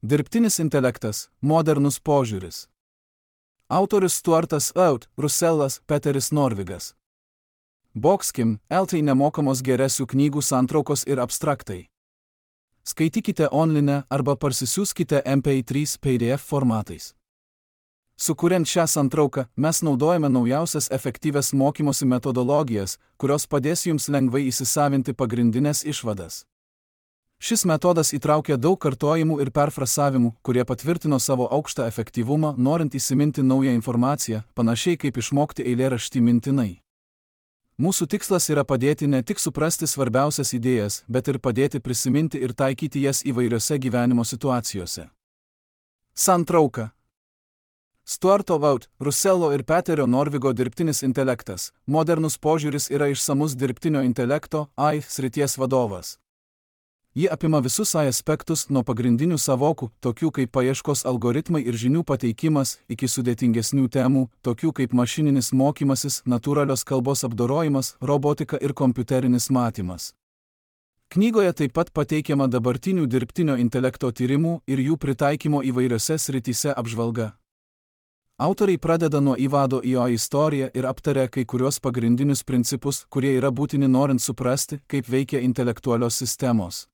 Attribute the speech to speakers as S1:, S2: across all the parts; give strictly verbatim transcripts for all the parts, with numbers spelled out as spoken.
S1: Dirbtinis intelektas – modernus požiūris. Autorius Stuartas Out, Russellas, Peteris Norvigas. Boxkim, Eltai nemokamos geresių knygų santraukos ir abstraktai. Skaitykite online arba parsisiųskite M P trys P D F formatais. Sukuriant šią santrauką, mes naudojame naujausias efektyvias mokymosi metodologijas, kurios padės jums lengvai įsisavinti pagrindinės išvadas. Šis metodas įtraukia daug kartojimų ir perfrasavimų, kurie patvirtino savo aukštą efektyvumą, norint įsiminti naują informaciją, panašiai kaip išmokti eilėraštį mintinai. Mūsų tikslas yra padėti ne tik suprasti svarbiausias idėjas, bet ir padėti prisiminti ir taikyti jas įvairiose gyvenimo situacijose. Santrauka. Stuarto Out, Russello ir Peterio Norvigo dirbtinis intelektas. Modernus požiūris yra išsamus dirbtinio intelekto A I srities vadovas. Ji apima visus A I aspektus nuo pagrindinių savokų, tokių kaip paieškos algoritmai ir žinių pateikimas, iki sudėtingesnių temų, tokių kaip mašininis mokymasis, natūralios kalbos apdorojimas, robotika ir kompiuterinis matymas. Knygoje taip pat pateikiama dabartinių dirbtinio intelekto tyrimų ir jų pritaikymo įvairiose srityse apžvalga. Autoriai pradeda nuo įvado į A I istoriją ir aptaria kai kurios pagrindinius principus, kurie yra būtini norint suprasti, kaip veikia intelektualios sistemos.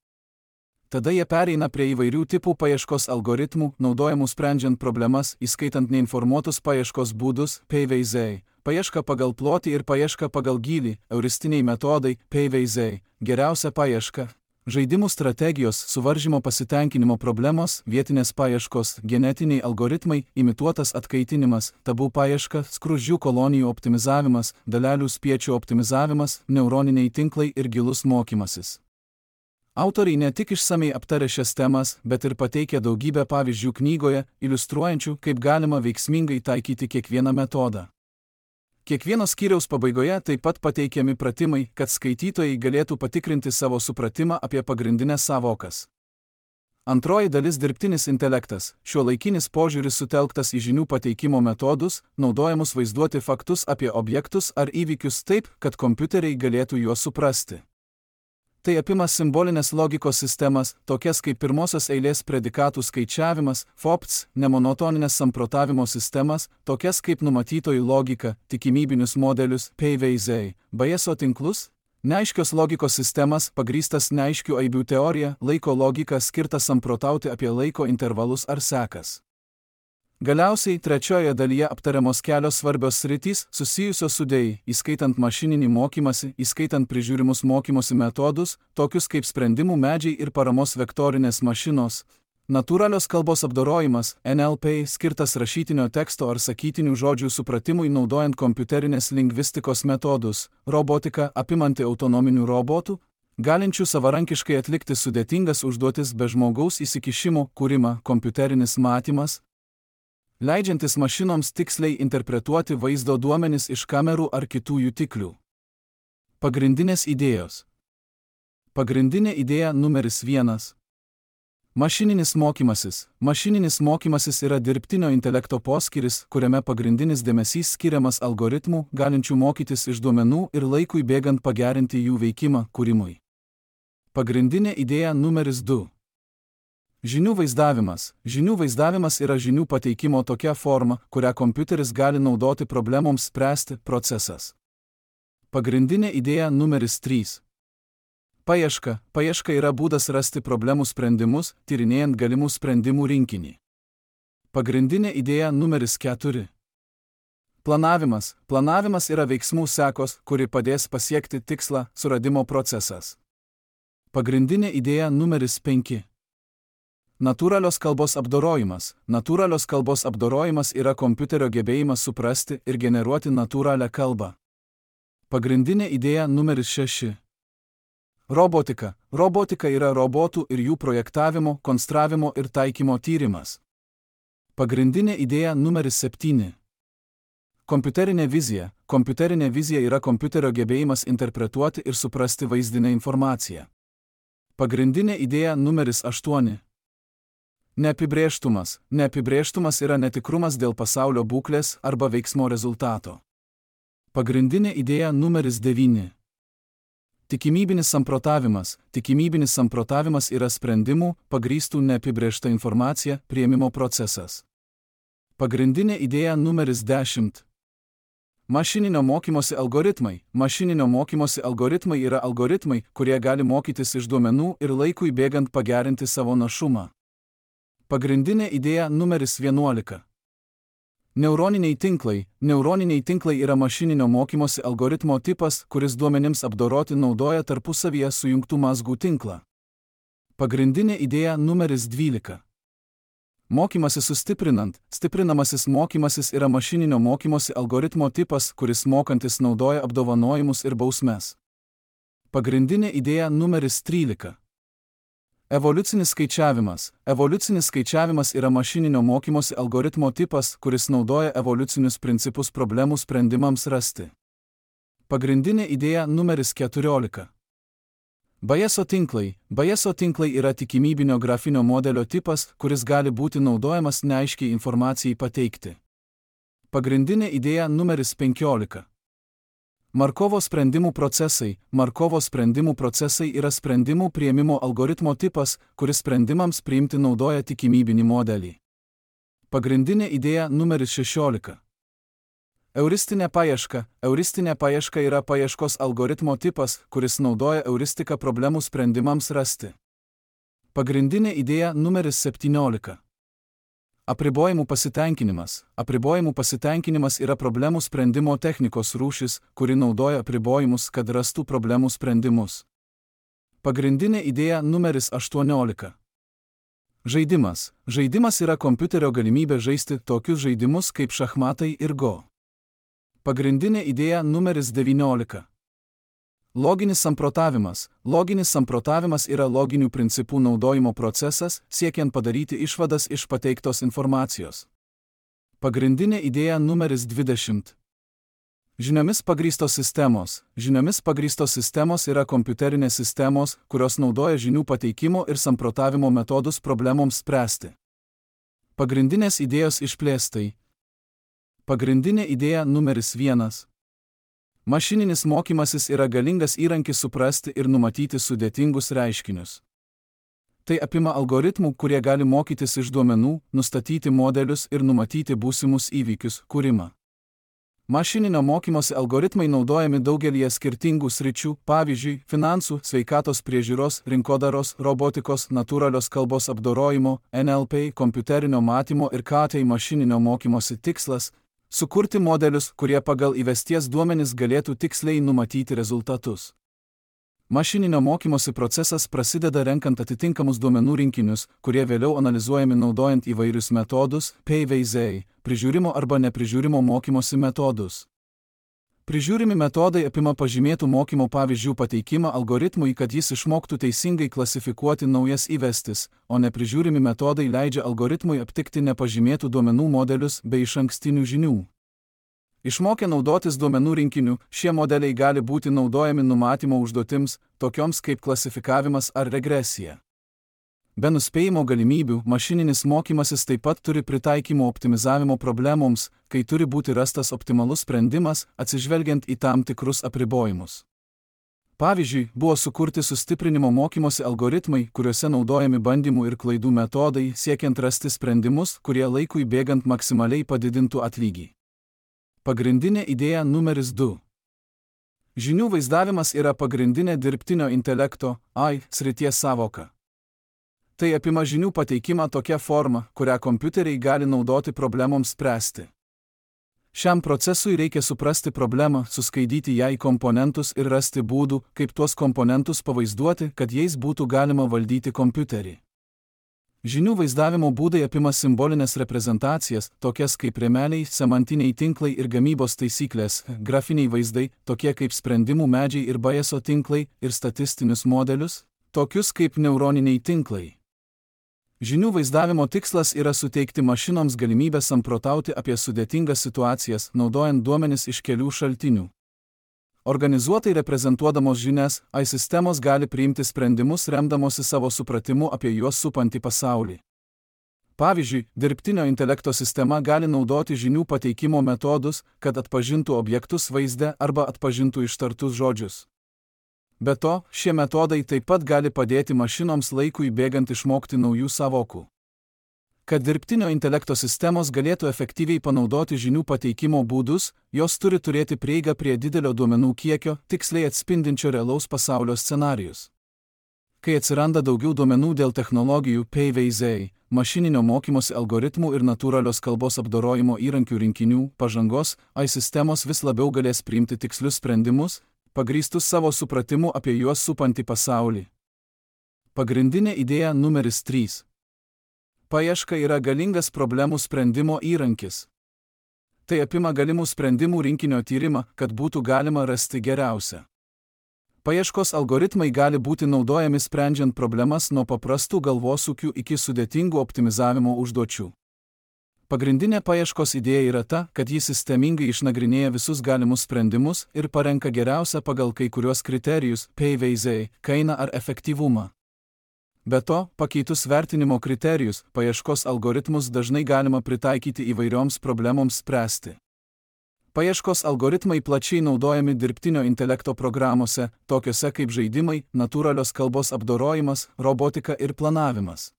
S1: Tada jie pereina prie įvairių tipų paieškos algoritmų, naudojamų sprendžiant problemas, įskaitant neinformuotus paieškos būdus, P V Z, paieška pagal plotį ir paieška pagal gylį, euristiniai metodai, P V Z, geriausia paieška, žaidimų strategijos, suvaržymo pasitenkinimo problemos, vietinės paieškos, genetiniai algoritmai, imituotas atkaitinimas, tabų paieška, skruzdžių kolonijų optimizavimas, dalelių spiečių optimizavimas, neuroniniai tinklai ir gilus mokymasis. Autoriai ne tik išsamei aptarė šias temas, bet ir pateikė daugybę pavyzdžių knygoje, iliustruojančių, kaip galima veiksmingai taikyti kiekvieną metodą. Kiekvieno skyriaus pabaigoje taip pat pateikiami pratimai, kad skaitytojai galėtų patikrinti savo supratimą apie pagrindinės sąvokas. Antroji dalis – dirbtinis intelektas. Šiuolaikinis požiūris sutelktas į žinių pateikimo metodus, naudojamus vaizduoti faktus apie objektus ar įvykius taip, kad kompiuteriai galėtų juos suprasti. Tai apima simbolinės logikos sistemas, tokias kaip pirmosios eilės predikatų skaičiavimas, F O P S, nemonotoninės samprotavimo sistemas, tokias kaip numatytojų logika, tikimybinius modelius, P V Z, Bayeso tinklus, neaiškios logikos sistemas, pagrįstas neaiškių aibių teorija, laiko logika skirta samprotauti apie laiko intervalus ar sekas. Galiausiai, trečioje dalyje aptariamos kelios svarbios sritys, susijusios su D A I, įskaitant mašininį mokymasi, įskaitant prižiūrimus mokymosi metodus, tokius kaip sprendimų medžiai ir paramos vektorinės mašinos, natūralios kalbos apdorojimas, N L P, skirtas rašytinio teksto ar sakytinių žodžių supratimui naudojant kompiuterinės lingvistikos metodus, robotika, apimanti autonominių robotų, galinčių savarankiškai atlikti sudėtingas užduotis be žmogaus įsikišimo, kūrimą, kompiuterinis matymas, leidžiantis mašinoms tiksliai interpretuoti vaizdo duomenis iš kamerų ar kitų jutiklių. Pagrindinės idėjos. Pagrindinė idėja numeris vienas. Mašininis mokymasis. Mašininis mokymasis yra dirbtinio intelekto poskyris, kuriame pagrindinis dėmesys skiriamas algoritmų, galinčių mokytis iš duomenų ir laikui bėgant pagerinti jų veikimą kūrimui. Pagrindinė idėja numeris du. Žinių vaizdavimas. Žinių vaizdavimas yra žinių pateikimo tokia forma, kurią kompiuteris gali naudoti problemoms spręsti procesas. Pagrindinė idėja numeris trys. Paieška. Paieška yra būdas rasti problemų sprendimus, tyrinėjant galimų sprendimų rinkinį. Pagrindinė idėja numeris keturi. Planavimas. Planavimas yra veiksmų sekos, kuri padės pasiekti tikslą, suradimo procesas. Pagrindinė idėja numeris penki. Natūralios kalbos apdorojimas. Natūralios kalbos apdorojimas yra kompiuterio gebėjimas suprasti ir generuoti natūralią kalbą. Pagrindinė idėja numeris šeši. Robotika. Robotika yra robotų ir jų projektavimo, konstravimo ir taikymo tyrimas. Pagrindinė idėja numeris septyni. Kompiuterinė vizija. Kompiuterinė vizija yra kompiuterio gebėjimas interpretuoti ir suprasti vaizdinę informaciją. Pagrindinė idėja numeris aštuoni. Neapibrėžtumas. Neapibrėžtumas yra netikrumas dėl pasaulio būklės arba veiksmo rezultato. Pagrindinė idėja numeris devyni. Tikimybinis samprotavimas. Tikimybinis samprotavimas yra sprendimų, pagrįstų neapibrėžta informacija, priėmimo procesas. Pagrindinė idėja numeris dešimt. Mašininio mokymosi algoritmai. Mašininio mokymosi algoritmai yra algoritmai, kurie gali mokytis iš duomenų ir laikui bėgant pagerinti savo našumą. Pagrindinė idėja numeris vienuolika. Neuroniniai tinklai. Neuroniniai tinklai yra mašininio mokymosi algoritmo tipas, kuris duomenims apdoroti naudoja tarpusavyje sujungtų mazgų tinklą. Pagrindinė idėja numeris dvylika. Mokymasis sustiprinant. Stiprinamasis mokymasis yra mašininio mokymosi algoritmo tipas, kuris mokantis naudoja apdovanojimus ir bausmes. Pagrindinė idėja numeris trylika. Evoliucinis skaičiavimas. Evoliucinis skaičiavimas yra mašininio mokymosi algoritmo tipas, kuris naudoja evoliucinius principus problemų sprendimams rasti. Pagrindinė idėja numeris keturiolika. Bayeso tinklai. Bayeso tinklai yra tikimybinio grafinio modelio tipas, kuris gali būti naudojamas neaiškiai informacijai pateikti. Pagrindinė idėja numeris penkiolika. Markovo sprendimų procesai. Markovo sprendimų procesai yra sprendimų priėmimo algoritmo tipas, kuris sprendimams priimti naudoja tikimybinį modelį. Pagrindinė idėja numeris šešiolika. Euristinė paieška. Euristinė paieška yra paieškos algoritmo tipas, kuris naudoja euristiką problemų sprendimams rasti. Pagrindinė idėja numeris septyniolika. Apribojimų pasitenkinimas. Apribojimų pasitenkinimas yra problemų sprendimo technikos rūšis, kuri naudoja apribojimus, kad rastų problemų sprendimus. Pagrindinė idėja numeris aštuoniolika. Žaidimas. Žaidimas yra kompiuterio galimybė žaisti tokius žaidimus kaip šachmatai ir go. Pagrindinė idėja numeris devyniolika. Loginis samprotavimas. Loginis samprotavimas yra loginių principų naudojimo procesas, siekiant padaryti išvadas iš pateiktos informacijos. Pagrindinė idėja numeris dvidešimt. Žiniomis pagrįstos sistemos. Žiniomis pagrįstos sistemos yra kompiuterinės sistemos, kurios naudoja žinių pateikimo ir samprotavimo metodus problemoms spręsti. Pagrindinės idėjos išplėstai. Pagrindinė idėja numeris vienas. Mašininis mokymasis yra galingas įrankis suprasti ir numatyti sudėtingus reiškinius. Tai apima algoritmų, kurie gali mokytis iš duomenų, nustatyti modelius ir numatyti būsimus įvykius, kūrimą. Mašininio mokymosi algoritmai naudojami daugelyje skirtingų sričių, pavyzdžiui, finansų, sveikatos priežiūros, rinkodaros, robotikos, natūralios kalbos apdorojimo, N L P, kompiuterinio matymo ir K T mašininio mokymosi tikslas – sukurti modelius, kurie pagal įvesties duomenis galėtų tiksliai numatyti rezultatus. Mašininio mokymosi procesas prasideda renkant atitinkamus duomenų rinkinius, kurie vėliau analizuojami naudojant įvairius metodus, P V Z, prižiūrimo arba neprižiūrimo mokymosi metodus. Prižiūrimi metodai apima pažymėtų mokymo pavyzdžių pateikimą algoritmui, kad jis išmoktų teisingai klasifikuoti naujas įvestis, o neprižiūrimi metodai leidžia algoritmui aptikti nepažymėtų duomenų modelius bei išankstinių žinių. Išmokę naudotis duomenų rinkiniu, šie modeliai gali būti naudojami numatymo užduotims, tokioms kaip klasifikavimas ar regresija. Be nuspėjimo galimybių, mašininis mokymasis taip pat turi pritaikymo optimizavimo problemoms, kai turi būti rastas optimalus sprendimas, atsižvelgiant į tam tikrus apribojimus. Pavyzdžiui, buvo sukurti sustiprinimo mokymosi algoritmai, kuriuose naudojami bandymų ir klaidų metodai, siekiant rasti sprendimus, kurie laikui bėgant maksimaliai padidintų atlygį. Pagrindinė idėja numeris du. Žinių vaizdavimas yra pagrindinė dirbtinio intelekto A I srities sąvoka. Tai apima žinių pateikimą tokia forma, kurią kompiuteriai gali naudoti problemoms spręsti. Šiam procesui reikia suprasti problemą, suskaidyti ją į komponentus ir rasti būdų, kaip tuos komponentus pavaizduoti, kad jais būtų galima valdyti kompiuterį. Žinių vaizdavimo būdai apima simbolinės reprezentacijas, tokias kaip rėmeliai, semantiniai tinklai ir gamybos taisyklės, grafiniai vaizdai, tokie kaip sprendimų medžiai ir Bayeso tinklai, ir statistinius modelius, tokius kaip neuroniniai tinklai. Žinių vaizdavimo tikslas yra suteikti mašinoms galimybę samprotauti apie sudėtingas situacijas, naudojant duomenis iš kelių šaltinių. Organizuotai reprezentuodamos žinias, A I sistemos gali priimti sprendimus remdamosi savo supratimu apie juos supantį pasaulį. Pavyzdžiui, dirbtinio intelekto sistema gali naudoti žinių pateikimo metodus, kad atpažintų objektus vaizde arba atpažintų ištartus žodžius. Be to, šie metodai taip pat gali padėti mašinoms laikui bėgant išmokti naujų sąvokų. Kad dirbtinio intelekto sistemos galėtų efektyviai panaudoti žinių pateikimo būdus, jos turi turėti prieigą prie didelio duomenų kiekio, tiksliai atspindinčio realaus pasaulio scenarijus. Kai atsiranda daugiau duomenų dėl technologijų, P V Z, mašininio mokymosi algoritmų ir natūralios kalbos apdorojimo įrankių rinkinių, pažangos, A I sistemos vis labiau galės priimti tikslius sprendimus, pagrįstus savo supratimu apie juos supantį pasaulį. Pagrindinė idėja numeris trys. Paieška yra galingas problemų sprendimo įrankis. Tai apima galimų sprendimų rinkinio tyrimą, kad būtų galima rasti geriausią. Paieškos algoritmai gali būti naudojami sprendžiant problemas nuo paprastų galvosūkių iki sudėtingų optimizavimo užduočių. Pagrindinė paieškos idėja yra ta, kad ji sistemingai išnagrinėja visus galimus sprendimus ir parenka geriausią pagal kai kuriuos kriterijus, P V Z, kainą ar efektyvumą. Be to, pakeitus vertinimo kriterijus, paieškos algoritmus dažnai galima pritaikyti įvairioms problemoms spręsti. Paieškos algoritmai plačiai naudojami dirbtinio intelekto programuose, tokiuose kaip žaidimai, natūralios kalbos apdorojimas, robotika ir planavimas.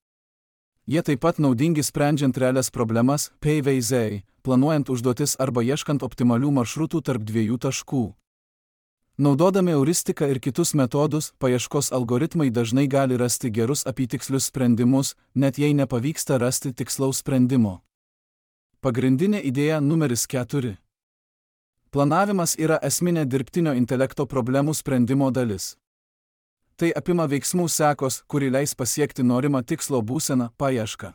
S1: Jie taip pat naudingi sprendžiant realias problemas, P V Z, planuojant užduotis arba ieškant optimalių maršrutų tarp dviejų taškų. Naudodami euristiką ir kitus metodus, paieškos algoritmai dažnai gali rasti gerus apytikslius sprendimus, net jei nepavyksta rasti tikslaus sprendimo. Pagrindinė idėja numeris keturi. Planavimas yra esminė dirbtinio intelekto problemų sprendimo dalis. Tai apima veiksmų sekos, kuri leis pasiekti norimą tikslo būseną, paiešką.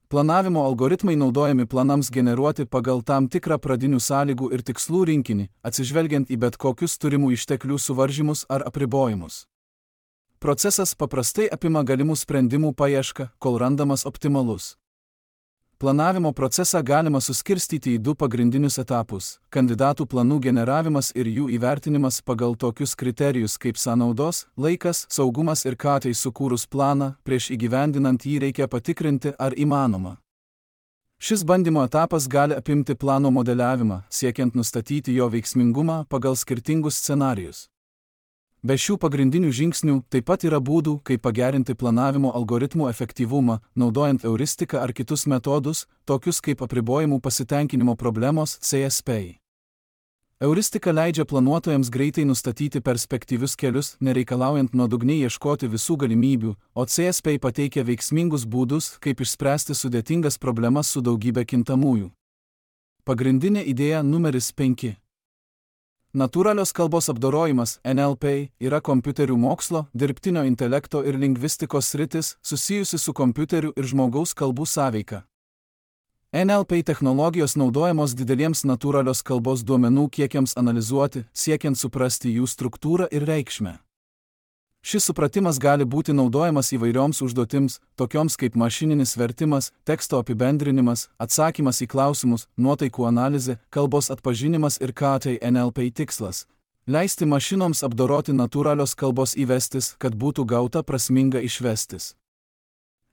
S1: Planavimo algoritmai naudojami planams generuoti pagal tam tikrą pradinių sąlygų ir tikslų rinkinį, atsižvelgiant į bet kokius turimų išteklių suvaržymus ar apribojimus. Procesas paprastai apima galimų sprendimų paiešką, kol randamas optimalus. Planavimo procesą galima suskirstyti į du pagrindinius etapus – kandidatų planų generavimas ir jų įvertinimas pagal tokius kriterijus kaip sąnaudos, laikas, saugumas ir ką tai sukūrus planą, prieš įgyvendinant jį reikia patikrinti, ar įmanoma. Šis bandymo etapas gali apimti plano modeliavimą, siekiant nustatyti jo veiksmingumą pagal skirtingus scenarijus. Be šių pagrindinių žingsnių taip pat yra būdų, kaip pagerinti planavimo algoritmų efektyvumą, naudojant euristiką ar kitus metodus, tokius kaip apribojimų pasitenkinimo problemos C S P. Euristika leidžia planuotojams greitai nustatyti perspektyvius kelius, nereikalaujant nuodugniai ieškoti visų galimybių, o C S P pateikia veiksmingus būdus, kaip išspręsti sudėtingas problemas su daugybė kintamųjų. Pagrindinė idėja numeris penki. Natūralios kalbos apdorojimas N L P yra kompiuterių mokslo, dirbtinio intelekto ir lingvistikos sritis susijusi su kompiuterių ir žmogaus kalbų sąveika. N L P technologijos naudojamos dideliems natūralios kalbos duomenų kiekiams analizuoti, siekiant suprasti jų struktūrą ir reikšmę. Šis supratimas gali būti naudojamas įvairioms užduotims, tokioms kaip mašininis vertimas, teksto apibendrinimas, atsakymas į klausimus, nuotaikų analizė, kalbos atpažinimas ir ką tai N L P tikslas – leisti mašinoms apdoroti natūralios kalbos įvestis, kad būtų gauta prasminga išvestis.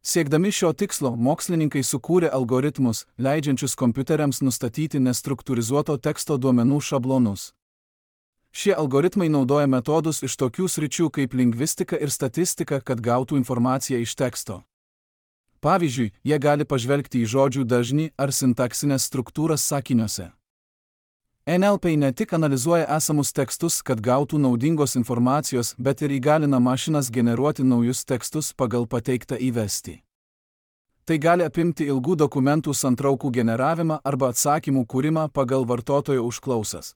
S1: Siekdami šio tikslo, mokslininkai sukūrė algoritmus, leidžiančius kompiuteriams nustatyti nestruktūrizuoto teksto duomenų šablonus. Šie algoritmai naudoja metodus iš tokių sričių kaip lingvistika ir statistika, kad gautų informaciją iš teksto. Pavyzdžiui, jie gali pažvelgti į žodžių dažnį ar sintaksinės struktūras sakiniuose. N L P ne tik analizuoja esamus tekstus, kad gautų naudingos informacijos, bet ir įgalina mašinas generuoti naujus tekstus pagal pateiktą įvestį. Tai gali apimti ilgų dokumentų santraukų generavimą arba atsakymų kūrimą pagal vartotojo užklausas.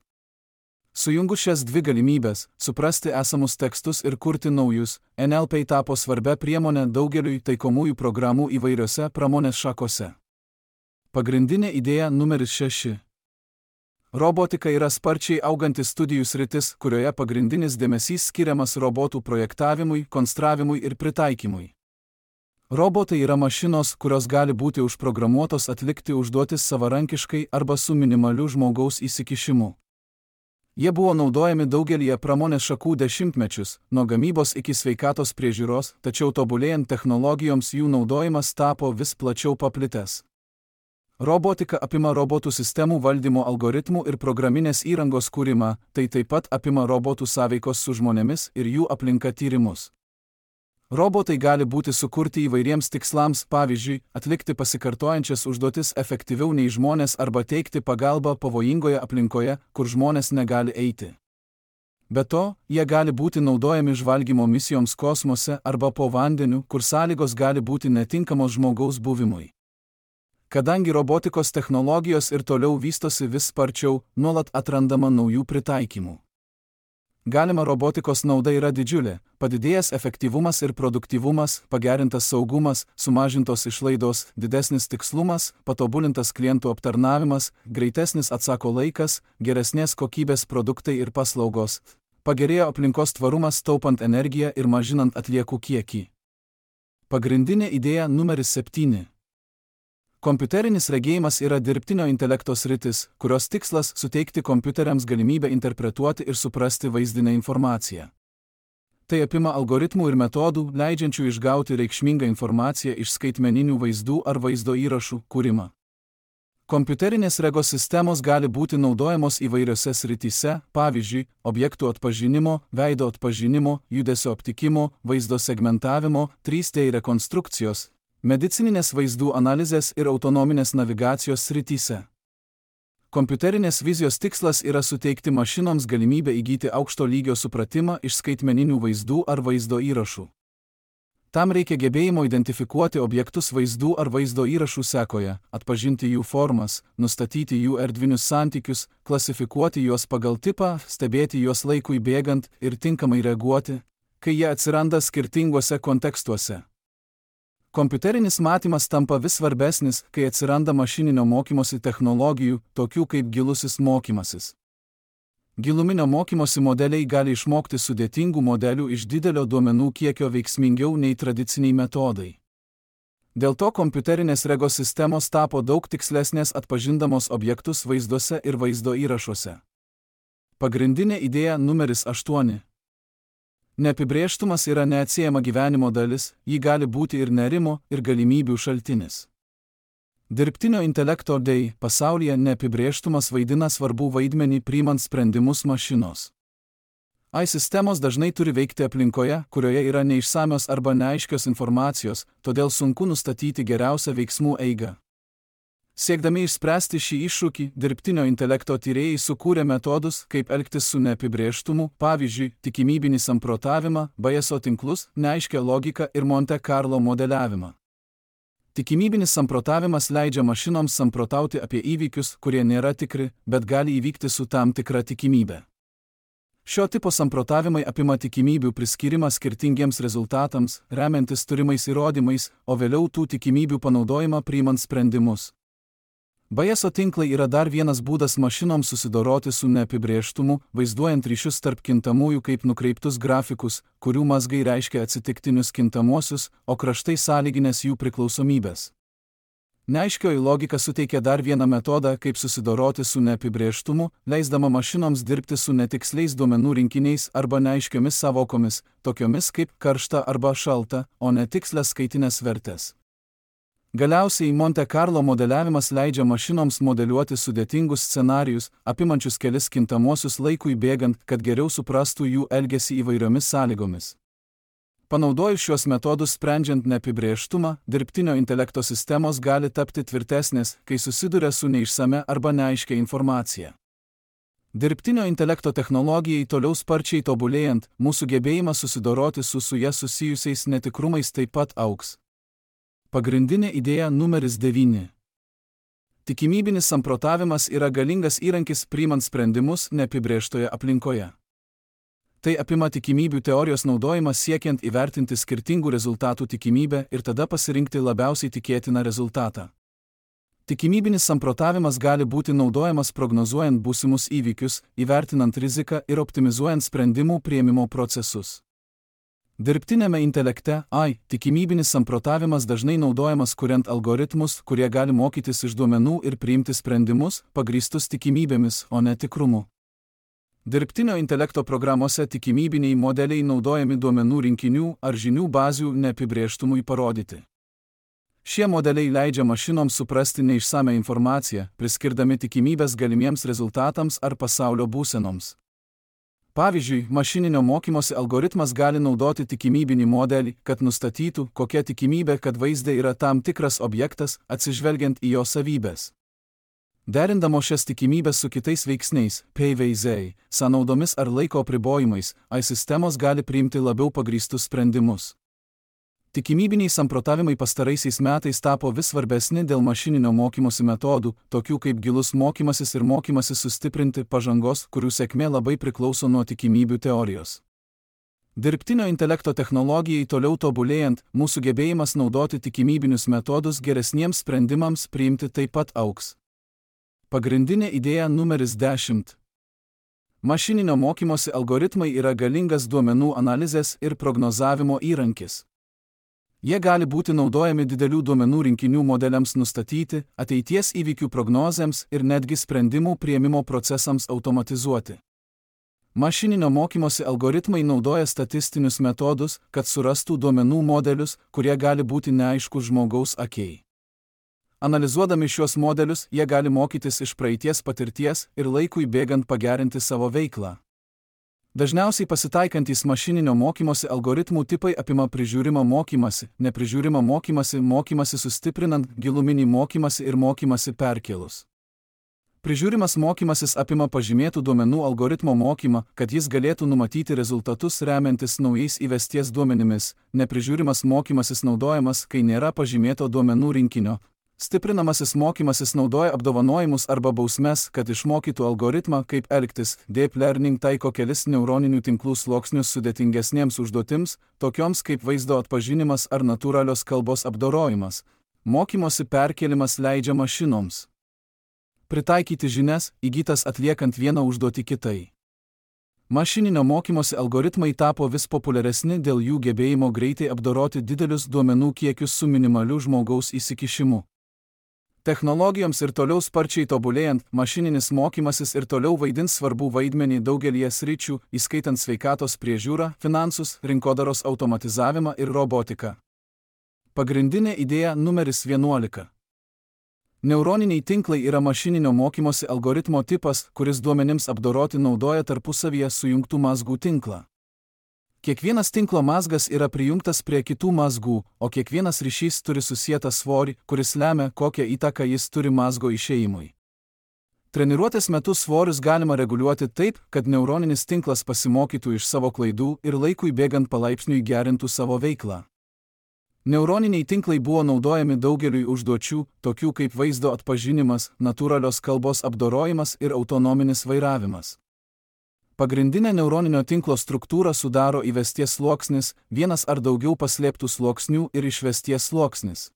S1: Sujungus šias dvi galimybės – suprasti esamus tekstus ir kurti naujus, N L P tapo svarbia priemonė daugeliui taikomųjų programų įvairiose pramonės šakose. Pagrindinė idėja numeris šeši. Robotika yra sparčiai augantis studijų sritis, kurioje pagrindinis dėmesys skiriamas robotų projektavimui, konstravimui ir pritaikymui. Robotai yra mašinos, kurios gali būti užprogramuotos atlikti užduotis savarankiškai arba su minimaliu žmogaus įsikišimu. Jie buvo naudojami daugelyje pramonės šakų dešimtmečius, nuo gamybos iki sveikatos priežiūros, tačiau tobulėjant technologijoms jų naudojimas tapo vis plačiau paplitęs. Robotika apima robotų sistemų valdymo algoritmų ir programinės įrangos kūrimą, tai taip pat apima robotų sąveikos su žmonėmis ir jų aplinka tyrimus. Robotai gali būti sukurti įvairiems tikslams, pavyzdžiui, atlikti pasikartojančias užduotis efektyviau nei žmonės arba teikti pagalbą pavojingoje aplinkoje, kur žmonės negali eiti. Be to, jie gali būti naudojami žvalgymo misijoms kosmose arba po vandeniu, kur sąlygos gali būti netinkamos žmogaus buvimui. Kadangi robotikos technologijos ir toliau vystosi vis sparčiau, nuolat atrandama naujų pritaikymų. Galima robotikos nauda yra didžiulė – padidėjęs efektyvumas ir produktyvumas, pagerintas saugumas, sumažintos išlaidos, didesnis tikslumas, patobulintas klientų aptarnavimas, greitesnis atsako laikas, geresnės kokybės produktai ir paslaugos, pagerėjo aplinkos tvarumas taupant energiją ir mažinant atliekų kiekį. Pagrindinė idėja numeris septyni. Kompiuterinis regėjimas yra dirbtinio intelekto sritis, kurios tikslas suteikti kompiuteriams galimybę interpretuoti ir suprasti vaizdinę informaciją. Tai apima algoritmų ir metodų, leidžiančių išgauti reikšmingą informaciją iš skaitmeninių vaizdų ar vaizdo įrašų kūrimą. Kompiuterinės regos sistemos gali būti naudojamos įvairiose srityse, pavyzdžiui, objektų atpažinimo, veido atpažinimo, judesio aptikimo, vaizdo segmentavimo, trys D rekonstrukcijos, medicininės vaizdų analizės ir autonominės navigacijos srityse. Kompiuterinės vizijos tikslas yra suteikti mašinoms galimybę įgyti aukšto lygio supratimą iš skaitmeninių vaizdų ar vaizdo įrašų. Tam reikia gebėjimo identifikuoti objektus vaizdų ar vaizdo įrašų sekoje, atpažinti jų formas, nustatyti jų erdvinius santykius, klasifikuoti juos pagal tipą, stebėti juos laikui bėgant ir tinkamai reaguoti, kai jie atsiranda skirtinguose kontekstuose. Kompiuterinis matymas tampa vis svarbesnis, kai atsiranda mašininio mokymosi technologijų, tokių kaip gilusis mokymasis. Giluminio mokymosi modeliai gali išmokti sudėtingų modelių iš didelio duomenų kiekio veiksmingiau nei tradiciniai metodai. Dėl to kompiuterinės regos sistemos tapo daug tikslesnės atpažindamos objektus vaizduose ir vaizdo įrašuose. Pagrindinė idėja numeris aštuoni. Neapibrėžtumas yra neatsiejama gyvenimo dalis, ji gali būti ir nerimo, ir galimybių šaltinis. Dirbtinio intelekto dėj pasaulyje neapibrėžtumas vaidina svarbų vaidmenį priimant sprendimus mašinos. A I sistemos dažnai turi veikti aplinkoje, kurioje yra neišsamios arba neaiškios informacijos, todėl sunku nustatyti geriausią veiksmų eigą. Siekdami išspręsti šį iššūkį, dirbtinio intelekto tyrėjai sukūrė metodus, kaip elgtis su neapibrėžtumu, pavyzdžiui, tikimybinį samprotavimą, Bayeso tinklus, neaiškią logiką ir Monte Carlo modeliavimą. Tikimybinis samprotavimas leidžia mašinoms samprotauti apie įvykius, kurie nėra tikri, bet gali įvykti su tam tikra tikimybė. Šio tipo samprotavimai apima tikimybių priskyrimą skirtingiems rezultatams, remiantis turimais įrodymais, o vėliau tų tikimybių panaudojimą priimant sprendimus. Bayeso tinklai yra dar vienas būdas mašinoms susidoroti su neapibrėžtumu, vaizduojant ryšius tarp kintamųjų kaip nukreiptus grafikus, kurių mazgai reiškia atsitiktinius kintamuosius, o kraštai sąlyginės jų priklausomybės. Neaiškioji logika suteikia dar vieną metodą, kaip susidoroti su neapibrėžtumu, leisdama mašinoms dirbti su netiksliais duomenų rinkiniais arba neaiškiomis savokomis, tokiomis kaip karšta arba šalta, o netikslės skaitinės vertės. Galiausiai Monte Carlo modeliavimas leidžia mašinoms modeliuoti sudėtingus scenarijus, apimančius kelis kintamuosius laikui bėgant, kad geriau suprastų jų elgesį įvairiomis sąlygomis. Panaudojus šios metodus sprendžiant neapibrėžtumą, dirbtinio intelekto sistemos gali tapti tvirtesnės, kai susiduria su neišsame arba neaiškia informacija. Dirbtinio intelekto technologijai toliau sparčiai tobulėjant, mūsų gebėjimas susidoroti su su ja susijusiais netikrumais taip pat augs. Pagrindinė idėja numeris devyni. Tikimybinis samprotavimas yra galingas įrankis priimant sprendimus neapibrėžtoje aplinkoje. Tai apima tikimybių teorijos naudojimą siekiant įvertinti skirtingų rezultatų tikimybę ir tada pasirinkti labiausiai tikėtiną rezultatą. Tikimybinis samprotavimas gali būti naudojamas prognozuojant būsimus įvykius, įvertinant riziką ir optimizuojant sprendimų priėmimo procesus. Dirbtinėme intelekte, A I, tikimybinis samprotavimas dažnai naudojamas kuriant algoritmus, kurie gali mokytis iš duomenų ir priimti sprendimus, pagrįstus tikimybėmis, o ne tikrumu. Dirbtinio intelekto programuose tikimybiniai modeliai naudojami duomenų rinkinių ar žinių bazių neapibrėžtumui parodyti. Šie modeliai leidžia mašinoms suprasti neišsame informaciją, priskirdami tikimybės galimiems rezultatams ar pasaulio būsenoms. Pavyzdžiui, mašininio mokymosi algoritmas gali naudoti tikimybinį modelį, kad nustatytų, kokia tikimybė, kad vaizde yra tam tikras objektas, atsižvelgiant į jo savybės. Derindamo šias tikimybės su kitais veiksniais, P V Z, sąnaudomis ar laiko apribojimais, A I sistemos gali priimti labiau pagrįstus sprendimus. Tikimybiniai samprotavimai pastaraisiais metais tapo vis svarbesni dėl mašininio mokymosi metodų, tokių kaip gilus mokymasis ir mokymasis sustiprinti pažangos, kurių sėkmė labai priklauso nuo tikimybių teorijos. Dirbtinio intelekto technologijai toliau tobulėjant, mūsų gebėjimas naudoti tikimybinius metodus geresniems sprendimams priimti taip pat augs. Pagrindinė idėja numeris dešimt. Mašininio mokymosi algoritmai yra galingas duomenų analizės ir prognozavimo įrankis. Jie gali būti naudojami didelių duomenų rinkinių modeliams nustatyti, ateities įvykių prognozėms ir netgi sprendimų priėmimo procesams automatizuoti. Mašininio mokymosi algoritmai naudoja statistinius metodus, kad surastų duomenų modelius, kurie gali būti neaiškus žmogaus akiai. Analizuodami šiuos modelius, jie gali mokytis iš praeities patirties ir laikui bėgant pagerinti savo veiklą. Dažniausiai pasitaikantys mašininio mokymosi algoritmų tipai apima prižiūrimą mokymasi, neprižiūrimą mokymasi, mokymasi sustiprinant, giluminį mokymasi ir mokymasi perkėlus. Prižiūrimas mokymasis apima pažymėtų duomenų algoritmo mokymą, kad jis galėtų numatyti rezultatus remiantis naujais įvesties duomenimis, neprižiūrimas mokymasis naudojamas, kai nėra pažymėto duomenų rinkinio. Stiprinamasis mokymasis naudoja apdovanojimus arba bausmes, kad išmokytų algoritmą, kaip elgtis. Deep Learning taiko kelis neuroninių tinklų sluoksnius sudėtingesniems užduotims, tokioms kaip vaizdo atpažinimas ar natūralios kalbos apdorojimas. Mokymosi perkėlimas leidžia mašinoms pritaikyti žinias, įgytas atliekant vieną užduotį kitai. Mašininio mokymosi algoritmai tapo vis populiaresni dėl jų gebėjimo greitai apdoroti didelius duomenų kiekius su minimaliu žmogaus įsikišimu. Technologijoms ir toliau sparčiai tobulėjant, mašininis mokymasis ir toliau vaidins svarbų vaidmenį daugelyje sričių, įskaitant sveikatos priežiūrą, finansus, rinkodaros automatizavimą ir robotiką. Pagrindinė idėja numeris vienuolika. Neuroniniai tinklai yra mašininio mokymosi algoritmo tipas, kuris duomenims apdoroti naudoja tarpusavyje sujungtų mazgų tinklą. Kiekvienas tinklo mazgas yra prijungtas prie kitų mazgų, o kiekvienas ryšys turi susietą svorį, kuris lemia, kokią įtaką jis turi mazgo išėjimui. Treniruotės metu svorius galima reguliuoti taip, kad neuroninis tinklas pasimokytų iš savo klaidų ir laikui bėgant palaipsniui gerintų savo veiklą. Neuroniniai tinklai buvo naudojami daugeliui užduočių, tokių kaip vaizdo atpažinimas, natūralios kalbos apdorojimas ir autonominis vairavimas. Pagrindinę neuroninio tinklo struktūrą sudaro įvesties sluoksnis, vienas ar daugiau paslėptų sluoksnių ir išvesties sluoksnis.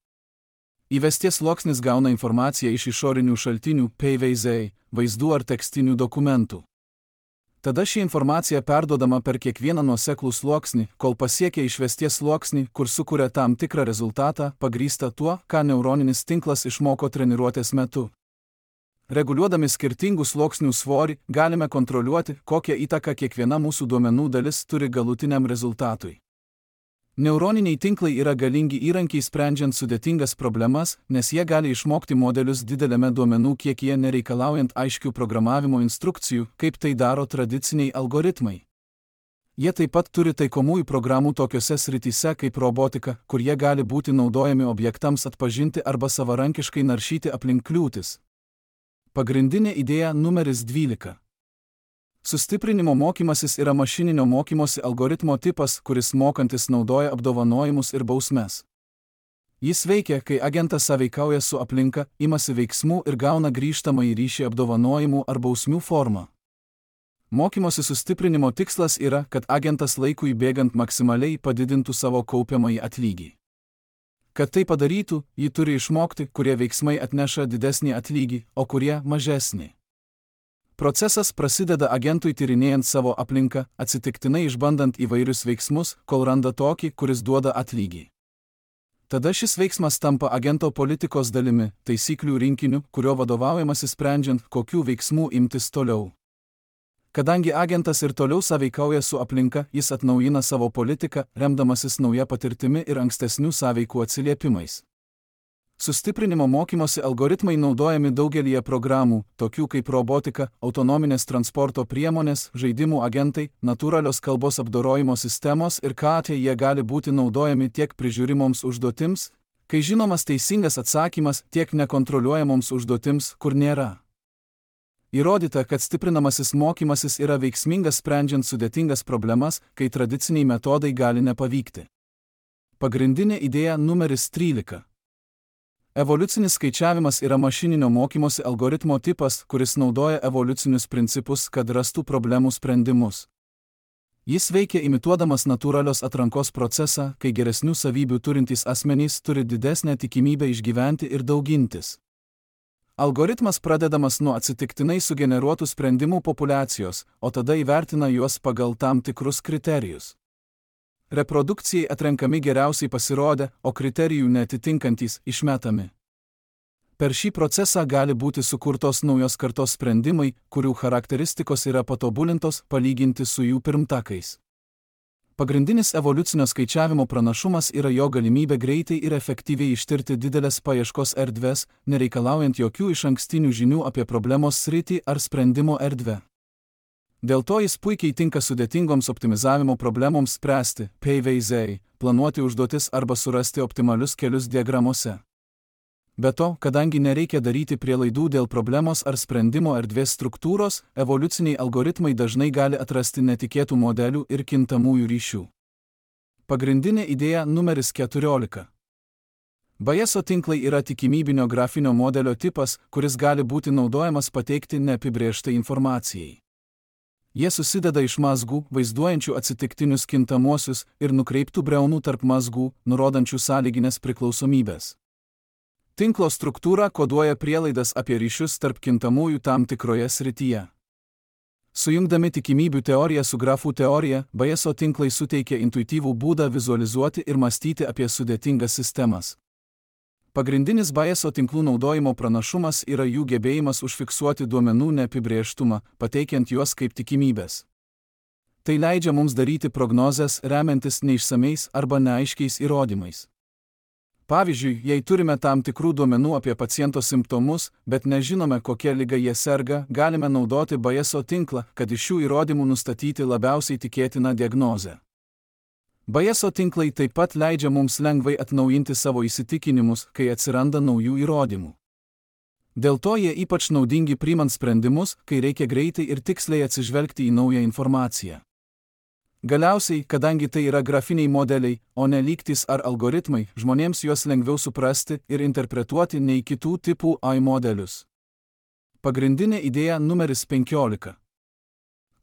S1: Įvesties sluoksnis gauna informaciją iš išorinių šaltinių, P V Z, vaizdų ar tekstinių dokumentų. Tada ši informacija perduodama per kiekvieną nuoseklų sluoksnį, kol pasiekia išvesties sluoksnį, kur sukuria tam tikrą rezultatą, pagrįstą tuo, ką neuroninis tinklas išmoko treniruotės metu. Reguliuodami skirtingų sluoksnių svorį, galime kontroliuoti, kokią įtaką kiekviena mūsų duomenų dalis turi galutiniam rezultatui. Neuroniniai tinklai yra galingi įrankiai sprendžiant sudėtingas problemas, nes jie gali išmokti modelius dideliame duomenų kiekyje nereikalaujant aiškių programavimo instrukcijų, kaip tai daro tradiciniai algoritmai. Jie taip pat turi taikomųjų programų tokiose srityse kaip robotika, kur jie gali būti naudojami objektams atpažinti arba savarankiškai naršyti aplink kliūtis. Pagrindinė idėja numeris dvylika. Sustiprinimo mokymasis yra mašininio mokymosi algoritmo tipas, kuris mokantis naudoja apdovanojimus ir bausmes. Jis veikia, kai agentas sąveikauja su aplinka, imasi veiksmų ir gauna grįžtamąjį ryšį apdovanojimų ar bausmių formą. Mokymosi sustiprinimo tikslas yra, kad agentas laikui bėgant maksimaliai padidintų savo kaupiamąjį atlygį. Kad tai padarytų, ji turi išmokti, kurie veiksmai atneša didesnį atlygį, o kurie mažesnį. Procesas prasideda agentui tyrinėjant savo aplinką, atsitiktinai išbandant įvairius veiksmus, kol randa tokį, kuris duoda atlygį. Tada šis veiksmas tampa agento politikos dalimi, taisyklių rinkiniu, kurio vadovaujamasi sprendžiant, kokių veiksmų imtis toliau. Kadangi agentas ir toliau sąveikauja su aplinka, jis atnaujina savo politiką, remdamasis nauja patirtimi ir ankstesnių sąveikų atsiliepimais. Sustiprinimo mokymosi algoritmai naudojami daugelyje programų, tokių kaip robotika, autonominės transporto priemonės, žaidimų agentai, natūralios kalbos apdorojimo sistemos ir ką tie jie gali būti naudojami tiek prižiūrimoms užduotims, kai žinomas teisingas atsakymas, tiek nekontroliuojamoms užduotims, kur nėra. Įrodyta, kad stiprinamasis mokymasis yra veiksmingas sprendžiant sudėtingas problemas, kai tradiciniai metodai gali nepavykti. Pagrindinė idėja numeris trylika. Evoliucinis skaičiavimas yra mašininio mokymosi algoritmo tipas, kuris naudoja evoliucinius principus, kad rastų problemų sprendimus. Jis veikia imituodamas natūralios atrankos procesą, kai geresnių savybių turintys asmenys turi didesnę tikimybę išgyventi ir daugintis. Algoritmas pradedamas nuo atsitiktinai sugeneruotų sprendimų populiacijos, o tada įvertina juos pagal tam tikrus kriterijus. Reprodukcijai atrenkami geriausiai pasirodę, o kriterijų neatitinkantys išmetami. Per šį procesą gali būti sukurtos naujos kartos sprendimai, kurių charakteristikos yra patobulintos palyginti su jų pirmtakais. Pagrindinis evoliucinio skaičiavimo pranašumas yra jo galimybė greitai ir efektyviai ištirti didelės paieškos erdves, nereikalaujant jokių išankstinių žinių apie problemos sritį ar sprendimo erdvę. Dėl to jis puikiai tinka sudėtingoms optimizavimo problemoms spręsti, P V Z, planuoti užduotis arba surasti optimalius kelius diagramose. Be to, kadangi nereikia daryti prielaidų dėl problemos ar sprendimo erdvės struktūros, evoliuciniai algoritmai dažnai gali atrasti netikėtų modelių ir kintamųjų ryšių. Pagrindinė idėja numeris keturiolika. Bayeso tinklai yra tikimybinio grafinio modelio tipas, kuris gali būti naudojamas pateikti neapibrėžtai informacijai. Jie susideda iš mazgų, vaizduojančių atsitiktinius kintamuosius ir nukreiptų briaunų tarp mazgų, nurodančių sąlyginės priklausomybės. Tinklo struktūra koduoja prielaidas apie ryšius tarp kintamųjų tam tikroje srityje. Sujungdami tikimybių teoriją su grafų teorija, Bayeso tinklai suteikia intuityvų būdą vizualizuoti ir mąstyti apie sudėtingas sistemas. Pagrindinis Bayeso tinklų naudojimo pranašumas yra jų gebėjimas užfiksuoti duomenų neapibrėžtumą, pateikiant juos kaip tikimybės. Tai leidžia mums daryti prognozes remiantis neišsamiais arba neaiškiais įrodymais. Pavyzdžiui, jei turime tam tikrų duomenų apie paciento simptomus, bet nežinome, kokia liga jie serga, galime naudoti Bayeso tinklą, kad iš šių įrodymų nustatyti labiausiai tikėtiną diagnozę. Bayeso tinklai taip pat leidžia mums lengvai atnaujinti savo įsitikinimus, kai atsiranda naujų įrodymų. Dėl to jie ypač naudingi priimant sprendimus, kai reikia greitai ir tiksliai atsižvelgti į naują informaciją. Galiausiai, kadangi tai yra grafiniai modeliai, o ne lygtys ar algoritmai, žmonėms juos lengviau suprasti ir interpretuoti nei kitų tipų A I modelius. Pagrindinė idėja numeris penkiolika.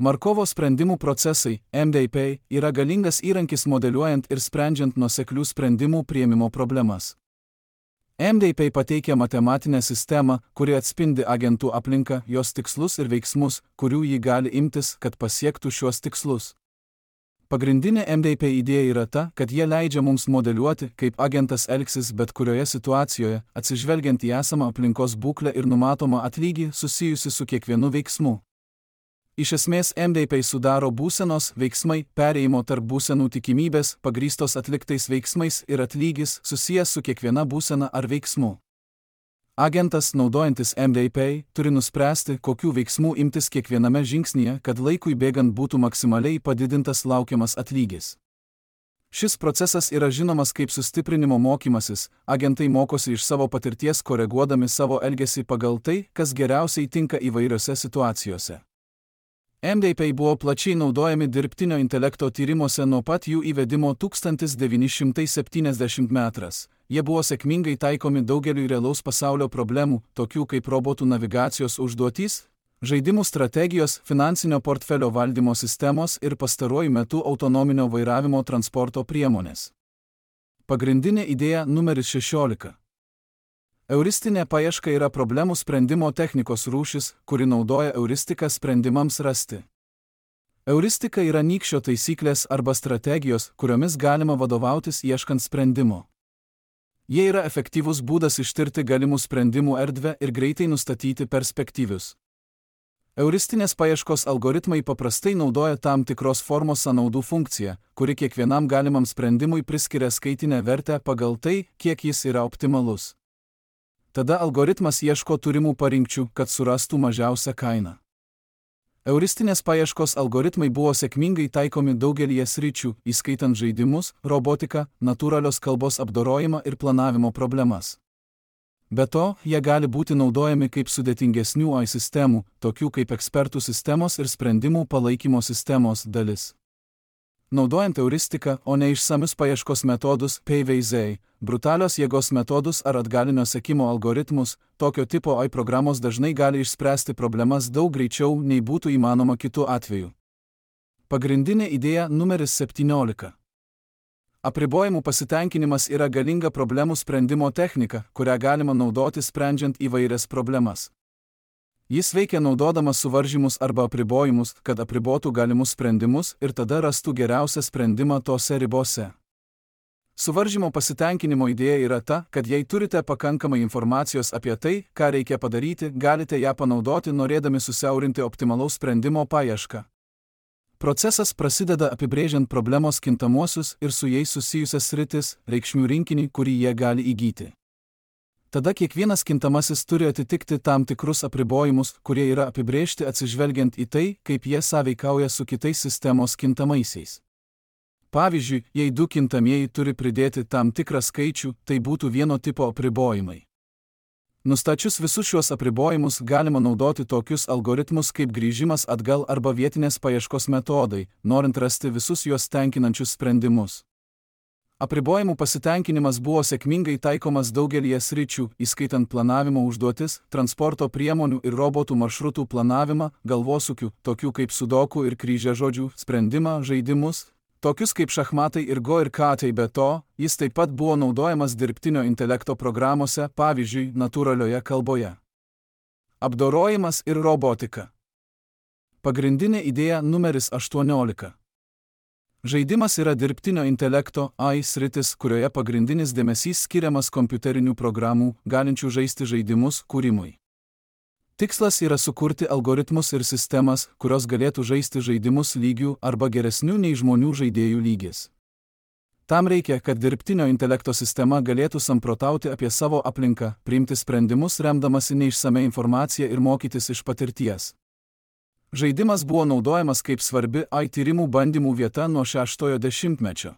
S1: Markovo sprendimų procesai, M D P, yra galingas įrankis modeliuojant ir sprendžiant nuoseklių sprendimų priėmimo problemas. M D P pateikia matematinę sistemą, kuri atspindi agentų aplinką, jos tikslus ir veiksmus, kurių ji gali imtis, kad pasiektų šiuos tikslus. Pagrindinė M D P idėja yra ta, kad jie leidžia mums modeliuoti, kaip agentas elgsis bet kurioje situacijoje, atsižvelgiant į esamą aplinkos būklę ir numatomą atlygį susijusi su kiekvienu veiksmu. Iš esmės M D P sudaro būsenos, veiksmai, perėjimo tarp būsenų tikimybės, pagrįstos atliktais veiksmais ir atlygis susijęs su kiekviena būsena ar veiksmu. Agentas, naudojantis M D P, turi nuspręsti, kokių veiksmų imtis kiekviename žingsnyje, kad laikui bėgant būtų maksimaliai padidintas laukiamas atlygis. Šis procesas yra žinomas kaip sustiprinimo mokymasis, agentai mokosi iš savo patirties koreguodami savo elgesį pagal tai, kas geriausiai tinka įvairiose situacijose. M D P buvo plačiai naudojami dirbtinio intelekto tyrimuose nuo pat jų įvedimo tūkstantis devyni šimtai septyniasdešimt metrais. Jie buvo sėkmingai taikomi daugeliui realaus pasaulio problemų, tokių kaip robotų navigacijos užduotys, žaidimų strategijos, finansinio portfelio valdymo sistemos ir pastaruoju metu autonominio vairavimo transporto priemonės. Pagrindinė idėja numeris šešiolika. Euristinė paieška yra problemų sprendimo technikos rūšis, kuri naudoja euristiką sprendimams rasti. Euristika yra nykščio taisyklės arba strategijos, kuriomis galima vadovautis ieškant sprendimo. Jie yra efektyvus būdas ištirti galimų sprendimų erdvę ir greitai nustatyti perspektyvius. Euristinės paieškos algoritmai paprastai naudoja tam tikros formos sąnaudų funkciją, kuri kiekvienam galimam sprendimui priskiria skaitinę vertę pagal tai, kiek jis yra optimalus. Tada algoritmas ieško turimų parinkčių, kad surastų mažiausią kainą. Euristinės paieškos algoritmai buvo sėkmingai taikomi daugelyje sričių, įskaitant žaidimus, robotiką, natūralios kalbos apdorojimą ir planavimo problemas. Be to, jie gali būti naudojami kaip sudėtingesnių A I sistemų, tokių kaip ekspertų sistemos ir sprendimų palaikymo sistemos dalis. Naudojant euristiką, o ne išsamius paieškos metodus, P V Z, brutalios jėgos metodus ar atgalinio sekimo algoritmus, tokio tipo A I programos dažnai gali išspręsti problemas daug greičiau, nei būtų įmanoma kitu atveju. Pagrindinė idėja numeris septyniolika. Apribojimų pasitenkinimas yra galinga problemų sprendimo technika, kurią galima naudoti sprendžiant įvairias problemas. Jis veikia naudodamas suvaržymus arba apribojimus, kad apribotų galimus sprendimus ir tada rastų geriausią sprendimą tose ribose. Suvaržymo pasitenkinimo idėja yra ta, kad jei turite pakankamai informacijos apie tai, ką reikia padaryti, galite ją panaudoti norėdami susiaurinti optimalaus sprendimo paiešką. Procesas prasideda apibrėžiant problemos kintamuosius ir su jais susijusias sritis, reikšmių rinkinį, kurį jie gali įgyti. Tada kiekvienas kintamasis turi atitikti tam tikrus apribojimus, kurie yra apibrėžti atsižvelgiant į tai, kaip jie sąveikauja su kitais sistemos kintamaisiais. Pavyzdžiui, jei du kintamieji turi pridėti tam tikrą skaičių, tai būtų vieno tipo apribojimai. Nustačius visus šiuos apribojimus galima naudoti tokius algoritmus kaip grįžimas atgal arba vietinės paieškos metodai, norint rasti visus juos tenkinančius sprendimus. Apribojimų pasitenkinimas buvo sėkmingai taikomas daugelyje sričių, įskaitant planavimo užduotis, transporto priemonių ir robotų maršrutų planavimą, galvosūkių, tokių kaip sudoku ir kryžiažodžių, sprendimą, žaidimus, tokius kaip šachmatai ir go ir katai. Be to, jis taip pat buvo naudojamas dirbtinio intelekto programuose, pavyzdžiui, natūralioje kalboje. Apdorojimas ir robotika. Pagrindinė idėja numeris aštuoniolika. Žaidimas yra dirbtinio intelekto A I sritis, kurioje pagrindinis dėmesys skiriamas kompiuterinių programų, galinčių žaisti žaidimus, kūrimui. Tikslas yra sukurti algoritmus ir sistemas, kurios galėtų žaisti žaidimus lygių arba geresnių nei žmonių žaidėjų lygis. Tam reikia, kad dirbtinio intelekto sistema galėtų samprotauti apie savo aplinką, priimti sprendimus remdamasi neišsame informacija ir mokytis iš patirties. Žaidimas buvo naudojamas kaip svarbi A I tyrimų bandymų vieta nuo šeštojo dešimtmečio.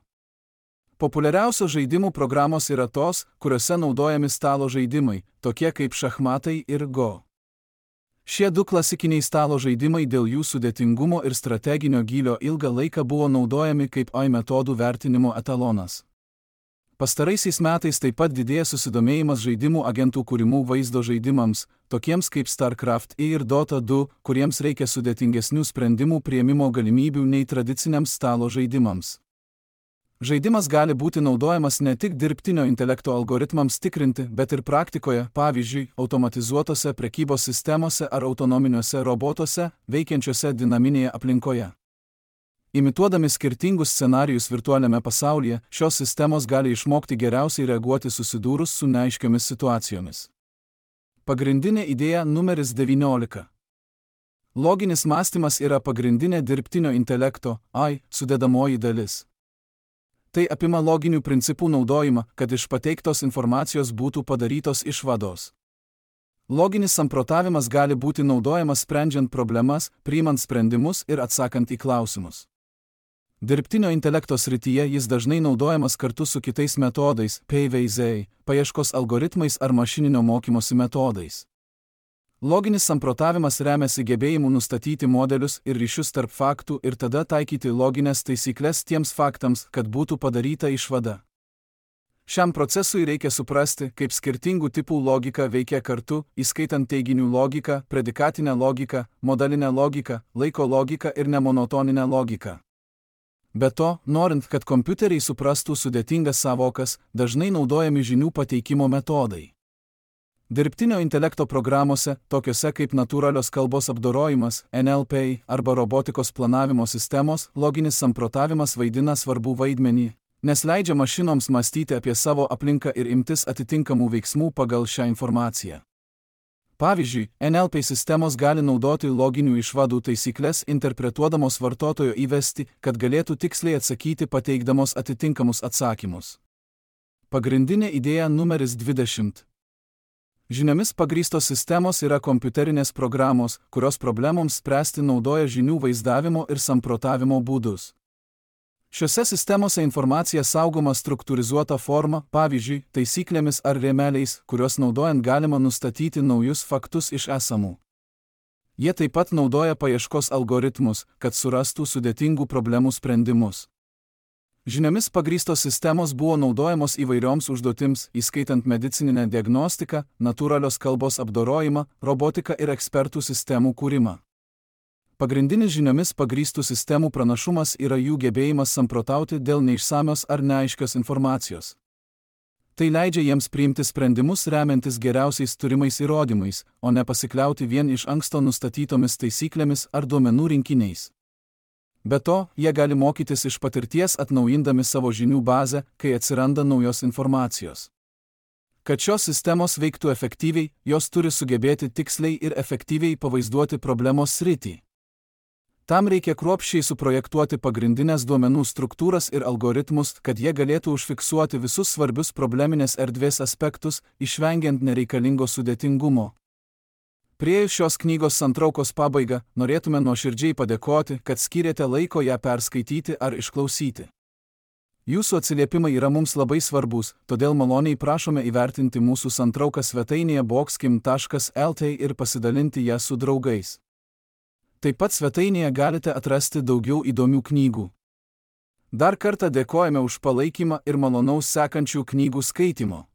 S1: Populiariausios žaidimų programos yra tos, kuriuose naudojami stalo žaidimai, tokie kaip šachmatai ir go. Šie du klasikiniai stalo žaidimai dėl jų sudėtingumo ir strateginio gylio ilgą laiką buvo naudojami kaip A I metodų vertinimo etalonas. Pastaraisiais metais taip pat didėja susidomėjimas žaidimų agentų kūrimų vaizdo žaidimams, tokiems kaip StarCraft ir Dota du, kuriems reikia sudėtingesnių sprendimų priėmimo galimybių nei tradiciniams stalo žaidimams. Žaidimas gali būti naudojamas ne tik dirbtinio intelekto algoritmams tikrinti, bet ir praktikoje, pavyzdžiui, automatizuotose prekybos sistemose ar autonominiuose robotuose, veikiančiuose dinaminėje aplinkoje. Imituodami skirtingus scenarijus virtualiame pasaulyje, šios sistemos gali išmokti geriausiai reaguoti susidūrus su neaiškiomis situacijomis. Pagrindinė idėja numeris devyniolika. Loginis mąstymas yra pagrindinė dirbtinio intelekto A I sudedamoji dalis. Tai apima loginių principų naudojimą, kad iš pateiktos informacijos būtų padarytos išvados. Loginis samprotavimas gali būti naudojamas sprendžiant problemas, priimant sprendimus ir atsakant į klausimus. Dirbtinio intelekto srityje jis dažnai naudojamas kartu su kitais metodais, P V Z, paieškos algoritmais ar mašininio mokymosi metodais. Loginis samprotavimas remiasi gebėjimu nustatyti modelius ir ryšius tarp faktų ir tada taikyti loginės taisyklės tiems faktams, kad būtų padaryta išvada. Šiam procesui reikia suprasti, kaip skirtingų tipų logika veikia kartu, įskaitant teiginių logiką, predikatinę logiką, modalinę logiką, laiko logiką ir nemonotoninę logiką. Be to, norint, kad kompiuteriai suprastų sudėtingas sąvokas, dažnai naudojami žinių pateikimo metodai. Dirbtinio intelekto programuose, tokiuose kaip natūralios kalbos apdorojimas, N L P arba robotikos planavimo sistemos, loginis samprotavimas vaidina svarbų vaidmenį, nes leidžia mašinoms mąstyti apie savo aplinką ir imtis atitinkamų veiksmų pagal šią informaciją. Pavyzdžiui, N L P sistemos gali naudoti loginių išvadų taisyklės interpretuodamos vartotojo įvestį, kad galėtų tiksliai atsakyti pateikdamos atitinkamus atsakymus. Pagrindinė idėja numeris dvidešimt. Žiniomis pagrįstos sistemos yra kompiuterinės programos, kurios problemoms spręsti naudoja žinių vaizdavimo ir samprotavimo būdus. Šiose sistemose informacija saugoma struktūrizuota forma, pavyzdžiui, taisyklėmis ar rėmeliais, kuriuos naudojant galima nustatyti naujus faktus iš esamų. Jie taip pat naudoja paieškos algoritmus, kad surastų sudėtingų problemų sprendimus. Žiniomis pagrįstos sistemos buvo naudojamos įvairioms užduotims, įskaitant medicininę diagnostiką, natūralios kalbos apdorojimą, robotiką ir ekspertų sistemų kūrimą. Pagrindinis žiniomis pagrįstų sistemų pranašumas yra jų gebėjimas samprotauti dėl neišsamios ar neaiškios informacijos. Tai leidžia jiems priimti sprendimus remiantis geriausiais turimais įrodymais, o ne pasikliauti vien iš anksto nustatytomis taisyklėmis ar duomenų rinkiniais. Be to, jie gali mokytis iš patirties atnaujindami savo žinių bazę, kai atsiranda naujos informacijos. Kad šios sistemos veiktų efektyviai, jos turi sugebėti tiksliai ir efektyviai pavaizduoti problemos sritį. Tam reikia kruopščiai suprojektuoti pagrindinės duomenų struktūras ir algoritmus, kad jie galėtų užfiksuoti visus svarbius probleminės erdvės aspektus, išvengiant nereikalingo sudėtingumo. Priėjus šios knygos santraukos pabaigą, norėtume nuoširdžiai padėkoti, kad skyrėte laiko ją perskaityti ar išklausyti. Jūsų atsiliepimai yra mums labai svarbus, todėl maloniai prašome įvertinti mūsų santrauką svetainėje boxkim taškas lt ir pasidalinti ją su draugais. Taip pat svetainėje galite atrasti daugiau įdomių knygų. Dar kartą dėkojame už palaikymą ir malonaus sekančių knygų skaitimo.